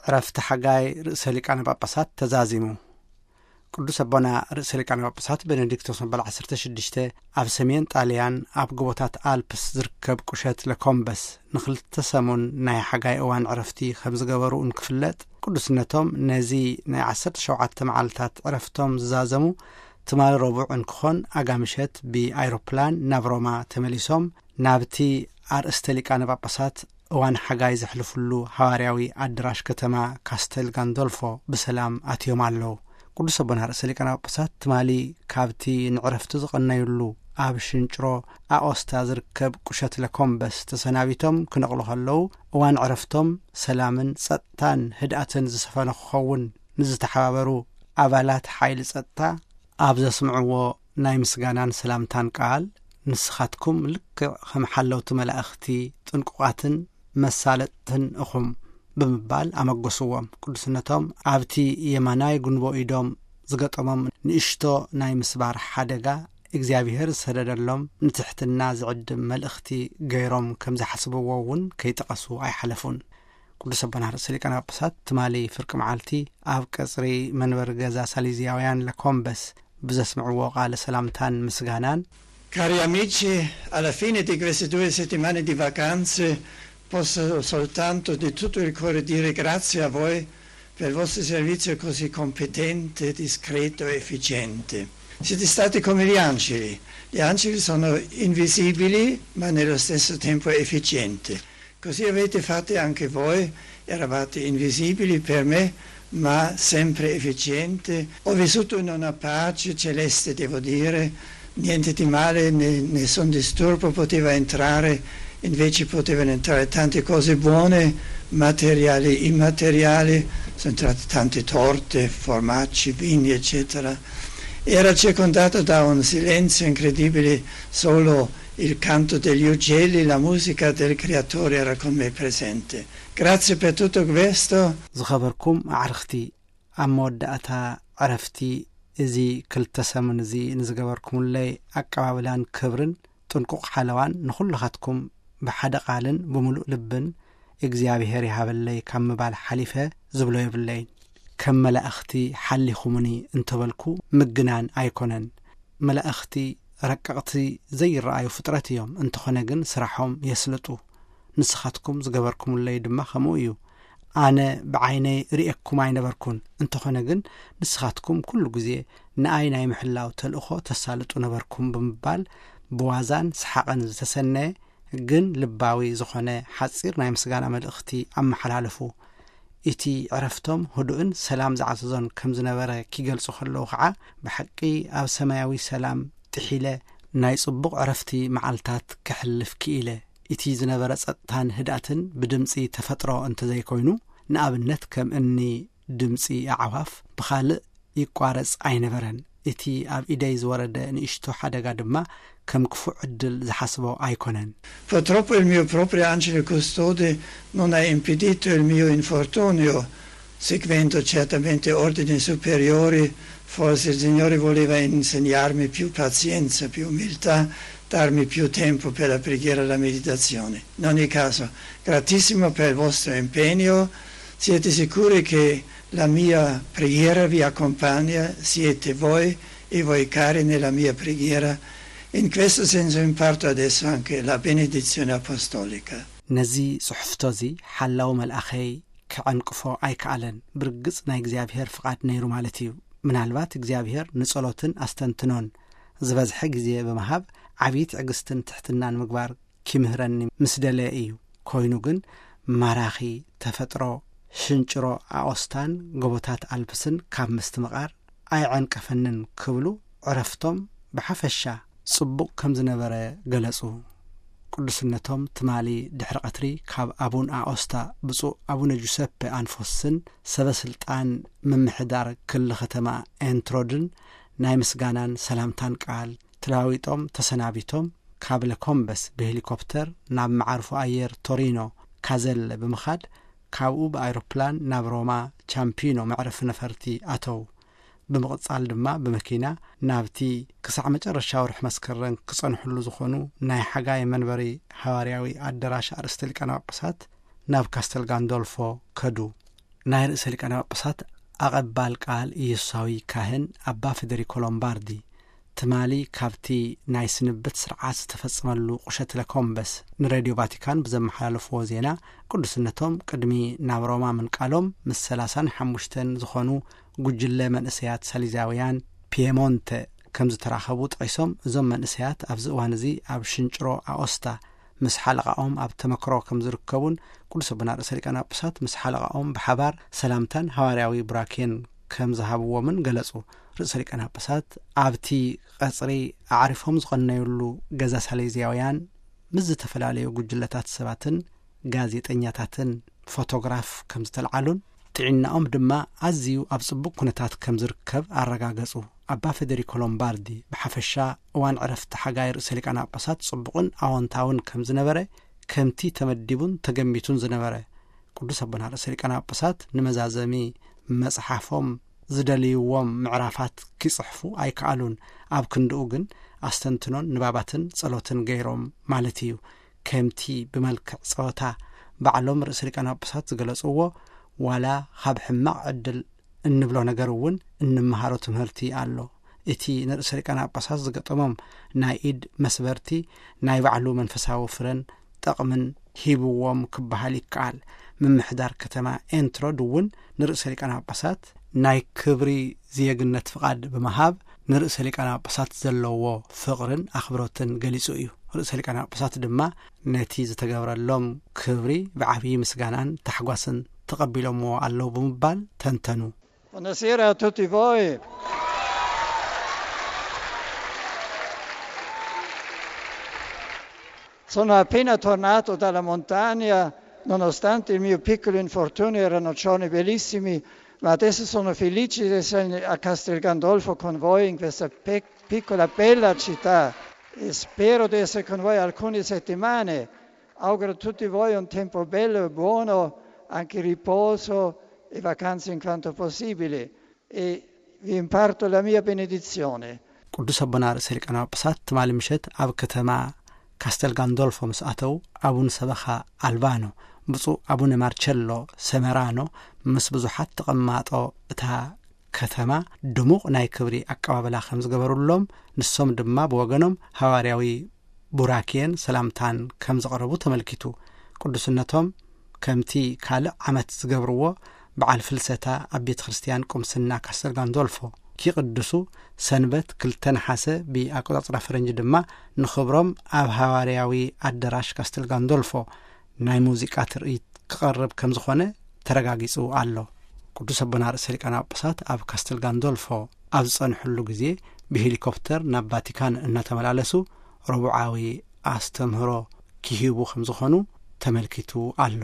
ዕረፍቲ ሓጋይ ርእሰ ሊቃነ ጳጳሳት ተዛዚሙ። ቅዱስ ኣቦና ርእሰ ሊቃነ ጳጳሳት ቤኔዲክቶስ መበል ዓሰርተ ሽዱሽተ ኣብ ሰሜን ጣልያን ኣብ ጎቦታት ኣልፕስ ዝርከብ ቁሸት ለኮምበስ ንኽልተ ሰሙን ናይ ሓጋይ እዋን ዕረፍቲ ከም ዝገበሩ እንክፍለጥ፣ ቅዱስነቶም ነዚ ናይ ዓሰርተ ሸውዓተ መዓልታት ዕረፍቶም ዝዛዘሙ ትማሊ ረቡዕ እንክኾን፣ ኣጋምሸት ብኣይሮፕላን ናብ ሮማ ተመሊሶም ናብቲ ኣርእስተ ሊቃነ ጳጳሳት እዋን ሓጋይ ዘሕልፉሉ ሃዋርያዊ ኣደራሽ ከተማ ካስተል ጋንዶልፎ ብሰላም ኣትዮም ኣለዉ። ቅዱስ ኣቦና ርእሰ ሊቃነ ጳጳሳት ትማሊ ካብቲ ንዕረፍቲ ዝቐነዩሉ ኣብ ሽንጭሮ ኣኦስታ ዝርከብ ቁሸት ለኮምበስ ተሰናቢቶም ክነቕሉ ከለዉ፣ እዋን ዕረፍቶም ሰላምን ጸጥታን ህድኣትን ዝሰፈነ ክኸውን ንዝተሓባበሩ ኣባላት ሓይሊ ጸጥታ ኣብ ዘስምዕዎ ናይ ምስጋናን ሰላምታን ቃል፣ "ንስኻትኩም ልክዕ ከም ሓለውቲ መላእኽቲ ጥንቁቓትን መሳለጥትን እኹም" ብምባል ኣመጎስዎም። ቅዱስነቶም ኣብቲ የማናይ ጉንቦ ኢዶም ዝገጠሞም ንእሽቶ ናይ ምስባር ሓደጋ እግዚኣብሔር ዝሰደደሎም ንትሕትና ዝዕድም መልእኽቲ ገይሮም ከም ዝሓስብዎ እውን ከይጠቐሱ ኣይሓለፉን። ቅዱስ ኣቦና ርእሰ ሊቃነ ጳጳሳት ትማሊ ፍርቂ መዓልቲ ኣብ ቀጽሪ መንበሪ ገዛ ሳሊዝያውያን ለኮምበስ ብዘስምዕዎ ቃለ ሰላምታን ምስጋናን፣ Cari amici, alla fine di queste due settimane di vacanze posso soltanto di tutto il cuore dire grazie a voi per il vostro servizio così competente, discreto e efficiente. Siete stati come gli angeli. Gli angeli sono invisibili, ma nello stesso tempo efficienti. Così avete fatto anche voi, eravate invisibili per me, ma sempre efficienti. Ho vissuto in una pace celeste, devo dire, niente di male, ne- nessun disturbo poteva entrare, invece potevano entrare tante cose buone, materiali, immateriali, sono entrate tante torte, formaggi, vini, eccetera. Era circondato da un silenzio incredibile, solo il canto degli uccelli, la musica del Creatore era con me presente. Grazie per tutto questo. ዝኸበርኩም ኣዕርኽቲ፣ ኣብ መወዳእታ ዕረፍቲ እዚ ክልተ ሰሙን እዚ ንዝገበርኩምለይ ኣቀባብላን ክብርን ጥንቁቕ ሓለዋን ንኹልኻትኩም ብሓደ ቃልን ብምሉእ ልብን እግዚኣብሔር ይሃበለይ ካብ ምባል ሓሊፈ ዝብሎ የብለይን። ከም መላእኽቲ ሓሊኹምኒ እንተበልኩ ምግናን ኣይኮነን። መላእኽቲ ረቀቕቲ ዘይረኣዩ ፍጥረት እዮም። እንተኾነ ግን ስራሖም የስልጡ። ንስኻትኩም ዝገበርኩምለይ ድማ ከምኡ እዩ። ኣነ ብዓይነይ ርእየኩም ኣይነበርኩን። እንተኾነ ግን ንስኻትኩም ኩሉ ግዜ ንኣይ ናይ ምሕላው ተልእኾ ተሳልጡ ነበርኩም ብምባል ብዋዛን ሰሓቕን ዝተሰነየ ግን ልባዊ ዝኾነ ሓጺር ናይ ምስጋና መልእኽቲ ኣመሓላለፉ። እቲ ዕረፍቶም ህዱእን ሰላም ዝዓዘዞን ከም ዝነበረ ኪገልጹ ከለዉ ኸዓ፣ "ብሓቂ ኣብ ሰማያዊ ሰላም ጥሒለ ናይ ጽቡቕ ዕረፍቲ መዓልታት ከሕልፍ ክኢለ። እቲ ዝነበረ ጸጥታን ህድኣትን ብድምጺ ተፈጥሮ እንተዘይኮይኑ፣ ንኣብነት ከም እኒ ድምጺ ኣዕዋፍ፣ ብኻልእ ይቋረጽ ኣይነበረን። እቲ ኣብ ኢደይ ዝወረደ ንእሽቶ ሓደጋ ድማ ከም ክፉእ ዕድል ዝሓስቦ ኣይኮነን።" Purtroppo il mio proprio angelo custode non ha impedito il mio infortunio, seguendo certamente ordini superiori, forse il Signore voleva insegnarmi più pazienza, più umiltà, darmi più tempo per la preghiera e la meditazione. In ogni caso, gratissimo per il vostro impegno, siete sicuri che la mia preghiera vi accompagna, siete voi e voi cari nella mia preghiera. In questo senso imparto adesso anche la benedizione apostolica. ነዚ ጽሑፍቶ እዚ ሓላው መልኣኸይ ክዐንቅፎ ኣይከኣለን። ብርግጽ ናይ እግዚኣብሔር ፍቓድ ነይሩ ማለት እዩ። ምናልባት እግዚኣብሔር ንጸሎትን ኣስተንትኖን ዝበዝሐ ግዜ ብምሃብ ዓብዪ ትዕግስትን ትሕትናን ምግባር ኪምህረኒ ምስ ደለየ እዩ። ኮይኑ ግን ማራኺ ተፈጥሮ ሽንጭሮ ኣኦስታን ጎቦታት ኣልፕስን ካብ ምስትምቓር ኣይዐንቀፈንን ክብሉ ዕረፍቶም ብሓፈሻ ጽቡቕ ከም ዝነበረ ገለጹ። ቅዱስነቶም ትማሊ ድሕሪ ቀትሪ ካብ ኣቡን ኣኦስታ ብፁዕ ኣቡነ ጁሰፐ ኣንፎስን ሰበ ስልጣን ምምሕዳር ክሊ ከተማ ኤንትሮድን ናይ ምስጋናን ሰላምታን ቃል ተለዋዊጦም ተሰናቢቶም፣ ካብ ለኮምበስ ብሄሊኮፕተር ናብ መዓርፎ ኣየር ቶሪኖ ካዘለ ብምኻድ፣ ካብኡ ብኣይሮፕላን ናብ ሮማ ቻምፒኖ መዕረፊ ነፈርቲ ኣተው። ብምቕጻል ድማ ብመኪና ናብቲ ክሳዕ መጨረሻ ወርሒ መስከረም ክጸንሕሉ ዝኾኑ ናይ ሓጋይ መንበሪ ሃዋርያዊ ኣደራሽ ኣርእስተ ሊቃነ ጳጳሳት ናብ ካስተል ጋንዶልፎ ከዱ። ናይ ርእሰ ሊቃነ ጳጳሳት ኣቐባል ቃል ኢየሱሳዊ ካህን ኣባ ፌደሪኮ ሎምባርዲ፣ ትማሊ ካብቲ ናይ ስንብት ስርዓት ዝተፈጸመሉ ቁሸት ለኮምበስ ንሬድዮ ቫቲካን ብዘመሓላለፍዎ ዜና፣ ቅዱስነቶም ቅድሚ ናብ ሮማ ምንቃሎም ምስ ሰላሳን ሓሙሽተን ዝኾኑ ጉጅለ መንእሰያት ሳሊዛውያን ፒየሞንተ ከም ዝተራኸቡ ጠቒሶም፣ እዞም መንእሰያት ኣብዚ እዋን እዚ ኣብ ሽንጭሮ ኣኦስታ ምስ ሓለቓኦም ኣብ ተመክሮ ከም ዝርከቡን፣ ቅዱስ ኣቦና ርእሰ ሊቃነ ጳጳሳት ምስ ሓለቓኦም ብሓባር ሰላምታን ሃዋርያዊ ቡራኬን ከም ዝሃብዎምን ገለጹ። ርእሰ ሊቃነ ጳጳሳት ኣብቲ ቀጽሪ ኣዕሪፎም ዝቐነዩሉ ገዛ ሳሌዝያውያን ምስ ዝተፈላለዩ ጉጅለታት ሰባትን ጋዜጠኛታትን ፎቶግራፍ ከም ዝተልዓሉን፣ ጥዕናኦም ድማ ኣዝዩ ኣብ ጽቡቕ ኩነታት ከም ዝርከብ ኣረጋገጹ። ኣባ ፌደሪኮ ሎምባርዲ ብሓፈሻ እዋን ዕረፍቲ ሓጋይ ርእሰ ሊቃነ ጳጳሳት ጽቡቕን ኣወንታውን ከም ዝነበረ፣ ከምቲ ተመዲቡን ተገሚቱን ዝነበረ፣ ቅዱስ ኣቦና ርእሰ ሊቃነ ጳጳሳት ንመዛዘሚ መጽሓፎም ዝደልይዎም ምዕራፋት ኪጽሕፉ ኣይከኣሉን። ኣብ ክንድኡ ግን ኣስተንትኖን ንባባትን ጸሎትን ገይሮም ማለት እዩ። ከምቲ ብመልክዕ ጸወታ ባዕሎም ርእሰ ሊቃነ ጳጳሳት ዝገለጽዎ፣ ዋላ ካብ ሕማቕ ዕድል እንብሎ ነገር እውን እንመሃሮ ትምህርቲ ኣሎ። እቲ ንርእሰ ሊቃነ ጳጳሳት ዝገጠሞም ናይ ኢድ መስበርቲ ናይ ባዕሉ መንፈሳዊ ፍረን ጠቕምን ሂብዎም ክበሃል ይከኣል። ምምሕዳር ከተማ ኤንትሮድ እውን ንርእሰ ሊቃነ ጳጳሳት ናይ ክብሪ ዜግነት ፍቓድ ብምሃብ ንርእሰ ሊቃነ ጳጳሳት ዘለዎ ፍቕርን ኣኽብሮትን ገሊጹ እዩ። ርእሰ ሊቃነ ጳጳሳት ድማ ነቲ ዝተገብረሎም ክብሪ ብዓብዪ ምስጋናን ታሕጓስን ተቐቢሎምዎ ኣለዉ ብምባል ተንተኑ። Buonasera a tutti voi. Sono appena tornato dalla montagna, nonostante il mio piccolo infortunio erano giorni bellissimi, ma adesso sono felice di essere a Castel Gandolfo con voi in questa pe- piccola bella città e spero di essere con voi alcune settimane. Auguro a tutti voi un tempo bello e buono, anche riposo e vacanze in quanto possibile, e vi imparto la mia benedizione. ቅዱስ ኣቦና ርእሰ ሊቃነ ጳጳሳት ትማሊ ምሸት ኣብ ከተማ ካስተል ጋንዶልፎ ምስ ኣተው፣ ኣቡን ሰበኻ ኣልባኖ ብፁዕ ኣቡነ ማርቸሎ ሰመራኖ ምስ ብዙሓት ተቐማጦ እታ ከተማ ድሙቕ ናይ ክብሪ ኣቀባብላ ከም ዝገበሩሎም፣ ንሶም ድማ ብወገኖም ሃዋርያዊ ቡራኬን ሰላምታን ከም ዘቕረቡ ተመልኪቱ። ቅዱስነቶም ከምቲ ካልእ ዓመት ዝገብርዎ በዓል ፍልሰታ ኣብ ቤተ ክርስቲያን ቁምስና ካስተል ጋንዶልፎ ኪቕድሱ፣ ሰንበት ክልተ ነሓሰ ብኣቆጻጽራ ፈረንጂ ድማ ንኽብሮም ኣብ ሃዋርያዊ ኣደራሽ ካስተል ጋንዶልፎ ናይ ሙዚቃ ትርኢት ክቐርብ ከም ዝኾነ ተረጋጊጹ ኣሎ። ቅዱስ ኣቦና ርእሰ ሊቃነ ጳጳሳት ኣብ ካስተል ጋንዶልፎ ኣብ ዝጸንሕሉ ግዜ ብሄሊኮፕተር ናብ ቫቲካን እናተመላለሱ ረቡዓዊ ኣስተምህሮ ኪሂቡ ከም ዝኾኑ ተመልኪቱ ኣሎ።